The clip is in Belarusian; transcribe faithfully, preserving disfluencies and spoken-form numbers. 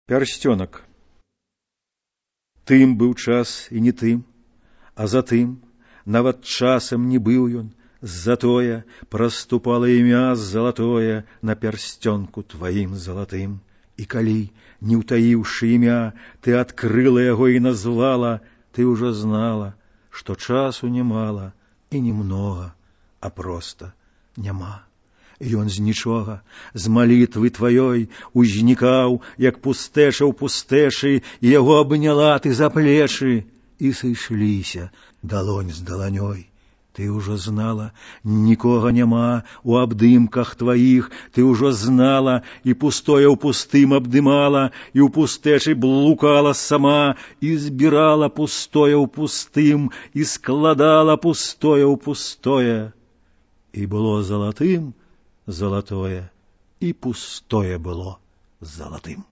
Пярсцёнак. Тым быў час і не тым, а затым, нават часам не быў ён, затое праступала імя залатое на пярсцёнку тваім залатым. І калі, не ўтаіўшы імя, ты адкрыла яго і назвала, ты ўжо знала, што часу немала і немнога, а проста няма. Ён з нічога, з малітвы тваёй узнікаў, як пустэча ў пустэчы, і яго абняла ты за плечы, і сышліся далонь з даланёй. Ты ўжо знала, нікога няма у абдымках тваіх, ты ўжо знала, і пустое ў пустым абдымала, і ў пустэчы блукала сама, і збірала пустое ў пустым, і складала пустое ў пустое. І было залатым залатое, і пустое было залатым.